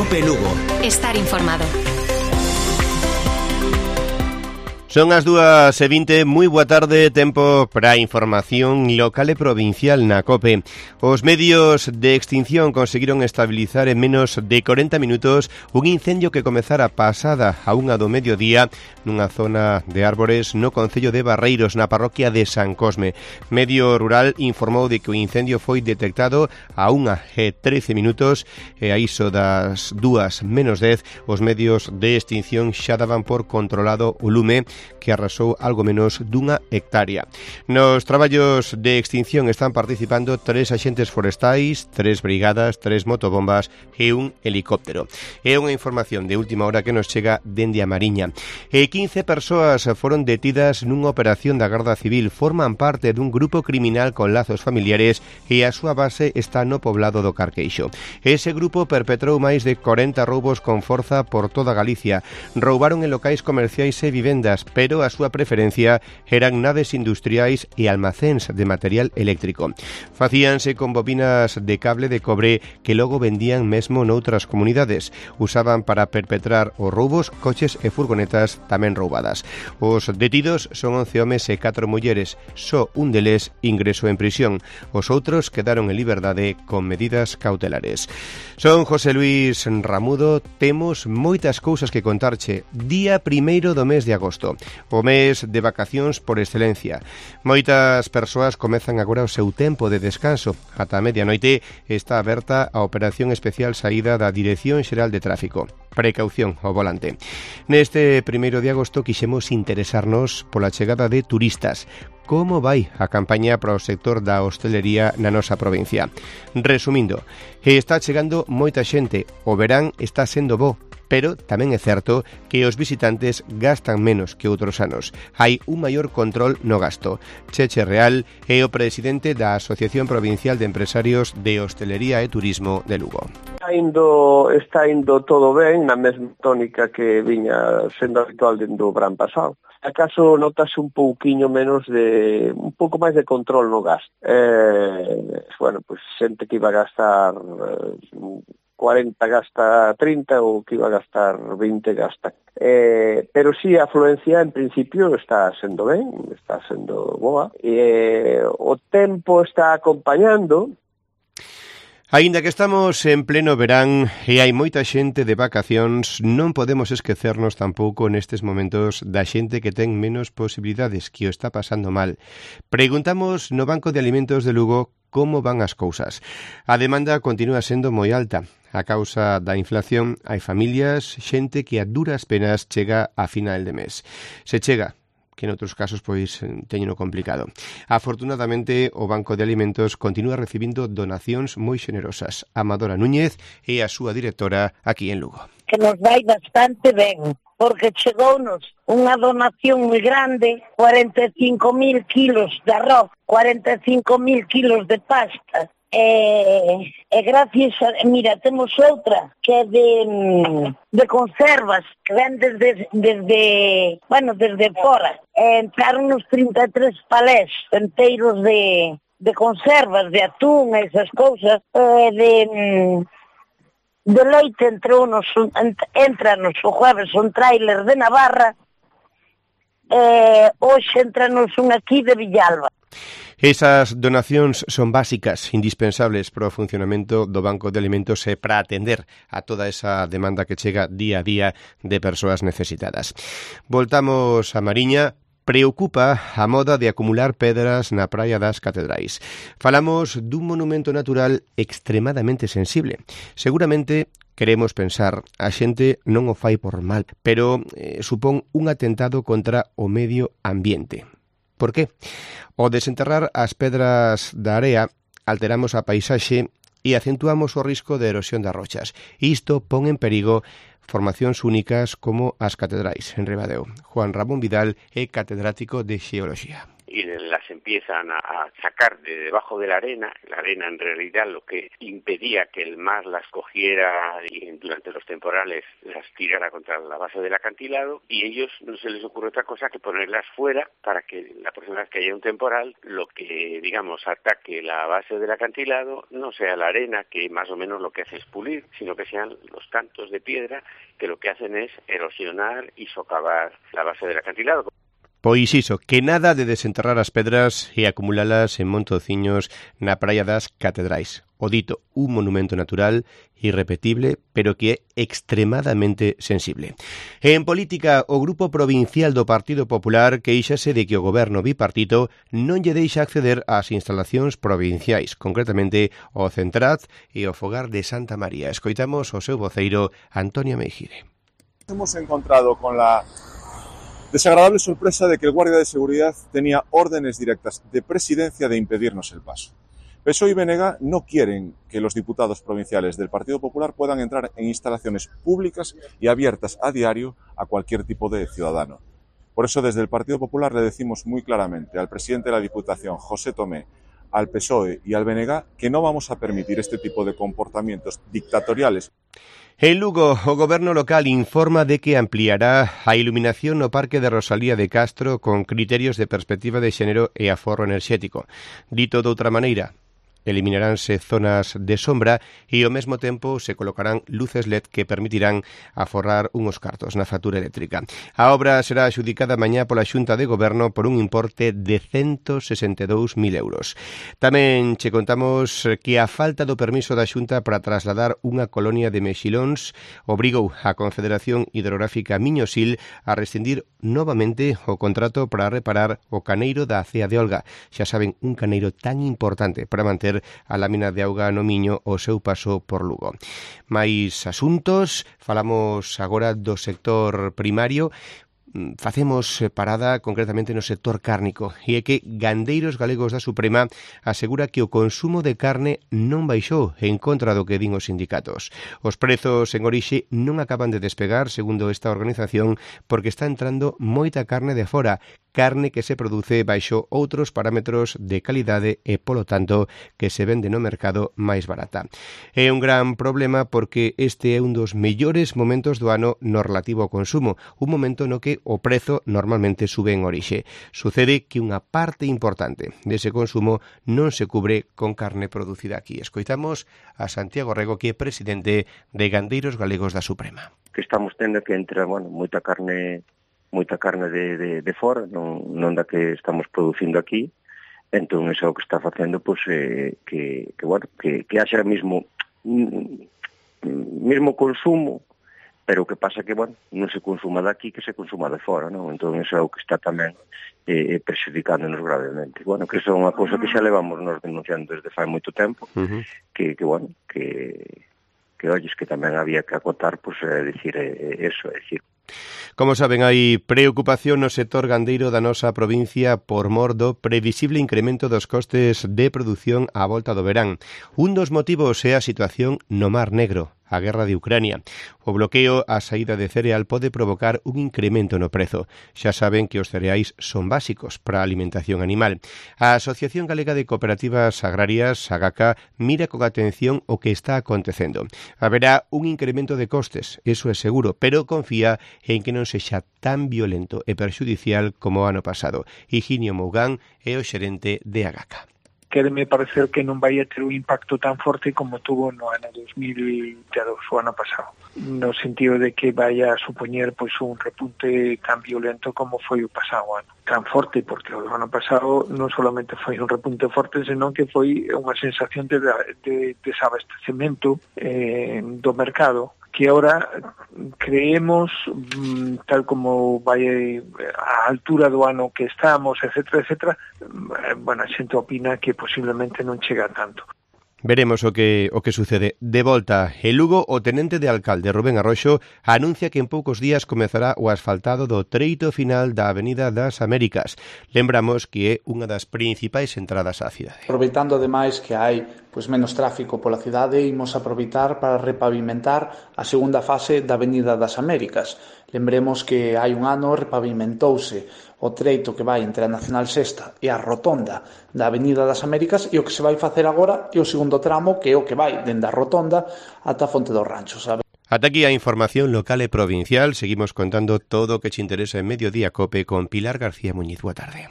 COPE Lugo. Estar informado. Son as 2:20, moi boa tarde, tempo para a información local e provincial na COPE. Os medios de extinción conseguiron estabilizar en menos de 40 minutos un incendio que comezara pasada a 1 do mediodía nunha zona de árbores no concello de Barreiros, na parroquia de San Cosme. Medio Rural informou de que o incendio foi detectado a 1:13 minutos e a iso das 2:10 os medios de extinción xa daban por controlado o lume que arrasou algo menos dunha hectárea. Nos traballos de extinción están participando 3 axentes forestais, 3 brigadas, 3 motobombas e un helicóptero. É unha información de última hora que nos chega dende a Mariña. 15 persoas foron detidas nunha operación da Garda Civil. Forman parte dun grupo criminal con lazos familiares e a súa base está no poblado do Carqueixo. Ese grupo perpetrou máis de 40 roubos con forza por toda Galicia. Roubaron en locais comerciais e vivendas, pero a súa preferencia eran naves industriais e almacéns de material eléctrico. Facíanse con bobinas de cable de cobre que logo vendían mesmo noutras comunidades. Usaban para perpetrar os roubos coches e furgonetas tamén roubadas. Os detidos son 11 homes e 4 mulleres. Só un deles ingresou en prisión. Os outros quedaron en liberdade con medidas cautelares. Son José Luis Ramudo. Temos moitas cousas que contarche. Día 1º do mes de agosto. O mes de vacacións por excelencia. Moitas persoas comezan agora o seu tempo de descanso. Ata a medianoite está aberta a operación especial saída da Dirección Xeral de Tráfico. Precaución ao volante. Neste 1º de agosto quixemos interesarnos pola chegada de turistas. Como vai a campaña para o sector da hostelería na nosa provincia? Resumindo, está chegando moita xente, o verán está sendo bo, pero tamén é certo que os visitantes gastan menos que outros anos. Hai un maior control no gasto. Cheche Real é o presidente da Asociación Provincial de Empresarios de Hostelería e Turismo de Lugo. Está indo todo ben, na mesma tónica que viña sendo habitual dende o verán pasado. Acaso notase un pouquiño menos un pouco máis de control no gasto. Pues xente que iba a gastar 40 gasta 30 ou que iba a gastar 20 gasta. Pero sí, a afluencia en principio está sendo ben, está sendo boa. O tempo está acompañando. Aínda que estamos en pleno verán e hai moita xente de vacacións, non podemos esquecernos tampouco nestes momentos da xente que ten menos posibilidades, que o está pasando mal. Preguntamos no Banco de Alimentos de Lugo como van as cousas. A demanda continúa sendo moi alta. A causa da inflación hai familias, xente que a duras penas chega a final de mes. Se chega, que en outros casos pois teñeno complicado. Afortunadamente, o Banco de Alimentos continúa recibindo donacións moi xenerosas. Amadora Núñez é a súa directora aquí en Lugo. Que nos vai bastante ben, porque chegounos unha donación moi grande, 45.000 kilos de arroz, 45.000 kilos de pasta, e gracias a... Mira, temos outra que é de conservas, que ven desde fora. Entraron nos 33 palés enteiros de conservas, de atún, esas cousas, de leite entranos o jueves un tráiler de Navarra, hoxe entranos un aquí de Villalba. Esas donacións son básicas, indispensables para o funcionamento do Banco de Alimentos e para atender a toda esa demanda que chega día a día de persoas necesitadas. Voltamos a Mariña. Preocupa a moda de acumular pedras na praia das Catedrais. Falamos dun monumento natural extremadamente sensible. Seguramente queremos pensar, a xente non o fai por mal, pero supón un atentado contra o medio ambiente. Por qué? Ao desenterrar as pedras da area, alteramos a paisaxe e acentuamos o risco de erosión das rochas. Isto pon en perigo formacións únicas como as catedrais en Ribadeo. Juan Ramón Vidal é catedrático de Xeoloxía. y las empiezan a sacar de debajo de la arena en realidad lo que impedía que el mar las cogiera y durante los temporales las tirara contra la base del acantilado, y ellos no se les ocurre otra cosa que ponerlas fuera para que la próxima vez que haya un temporal, lo que, digamos, ataque la base del acantilado no sea la arena, que más o menos lo que hace es pulir, sino que sean los cantos de piedra que lo que hacen es erosionar y socavar la base del acantilado. Pois iso, que nada de desenterrar as pedras e acumulalas en montociños na praia das Catedrais. O dito, un monumento natural irrepetible, pero que é extremadamente sensible. En política, o Grupo Provincial do Partido Popular queixase de que o goberno bipartito non lle deixa acceder ás instalacións provinciais, concretamente o Centraz e o Fogar de Santa María. Escoitamos o seu voceiro, Antonio Meijide. Hemos encontrado con la desagradable sorpresa de que el guardia de seguridad tenía órdenes directas de presidencia de impedirnos el paso. PSOE y BNG no quieren que los diputados provinciales del Partido Popular puedan entrar en instalaciones públicas y abiertas a diario a cualquier tipo de ciudadano. Por eso, desde el Partido Popular le decimos muy claramente al presidente de la Diputación, José Tomé, al PSOE y al BNG que no vamos a permitir este tipo de comportamientos dictatoriales. En Lugo, o goberno local informa de que ampliará a iluminación no Parque de Rosalía de Castro con criterios de perspectiva de xénero e aforro enerxético. Dito de outra maneira, eliminaránse zonas de sombra e ao mesmo tempo se colocarán luces LED que permitirán aforrar unhos cartos na factura eléctrica. A obra será adxudicada mañá pola Xunta de Goberno por un importe de 162.000 euros. Tamén che contamos que a falta do permiso da Xunta para trasladar unha colonia de mexilóns obrigou a Confederación Hidrográfica Miñosil a rescindir novamente o contrato para reparar o caneiro da Cea de Olga. Xa saben, un caneiro tan importante para manter a lámina de auga no Miño o seu paso por Lugo. Mais asuntos, falamos agora do sector primario. Facemos parada concretamente no sector cárnico e é que Gandeiros Galegos da Suprema asegura que o consumo de carne non baixou en contra do que din os sindicatos. Os prezos en orixe non acaban de despegar, segundo esta organización, porque está entrando moita carne de fora, carne que se produce baixo outros parámetros de calidade e, polo tanto, que se vende no mercado máis barata. É un gran problema porque este é un dos mellores momentos do ano no relativo ao consumo, un momento no que o prezo normalmente sube en orixe. Sucede que unha parte importante dese consumo non se cubre con carne producida aquí. Escoitamos a Santiago Rego, que é presidente de Gandeiros Galegos da Suprema. Que estamos tendo que entra, moita carne de fora, non da que estamos producindo aquí. Entón, iso é o que está facendo, pois, que haxa mismo consumo, pero o que pasa que, non se consuma daqui que se consuma de fora, non? Entón, iso é o que está tamén perxudicándonos gravemente. Que iso é unha cousa que xa levamos nos denunciando desde fai moito tempo, que olles, que tamén había que acotar, pois, decir eso, decir. Como saben, hai preocupación no sector gandeiro da nosa provincia por mor do previsible incremento dos costes de produción á volta do verán. Un dos motivos é a situación no Mar Negro, a guerra de Ucrania. O bloqueo á saída de cereal pode provocar un incremento no prezo. Xa saben que os cereais son básicos para a alimentación animal. A Asociación Galega de Cooperativas Agrarias, AGACA, mira con atención o que está acontecendo. Haberá un incremento de costes, eso é seguro, pero confía en que non sexa tan violento e perxudicial como o ano pasado. Higinio Mougán é o xerente de AGACA. Quéreme parecer que non vai a ter un impacto tan forte como tuvo no ano 2022, o ano pasado, no sentido de que vai a supoñer pois un repunte tan violento como foi o pasado ano. Tan forte, porque o ano pasado non solamente foi un repunte forte, senón que foi unha sensación de desabastecemento do mercado, que ahora creemos, tal como vai a altura do ano que estamos, etcétera, a xente opina que posiblemente non chega tanto. Veremos o que sucede. De volta, en Lugo, o tenente de alcalde Rubén Arroxo anuncia que en poucos días comezará o asfaltado do treito final da Avenida das Américas. Lembramos que é unha das principais entradas á cidade. Aproveitando ademais que hai menos tráfico pola cidade, imos aproveitar para repavimentar a segunda fase da Avenida das Américas. Lembremos que hai un ano repavimentouse o treito que vai entre a Nacional Sexta e a rotonda da Avenida das Américas, e o que se vai facer agora é o segundo tramo, que é o que vai dende a rotonda ata a Fonte dos Ranchos, sabe? Ata aquí a información local e provincial. Seguimos contando todo o que te interesa en Mediodía Cope con Pilar García Muñiz. Boa tarde.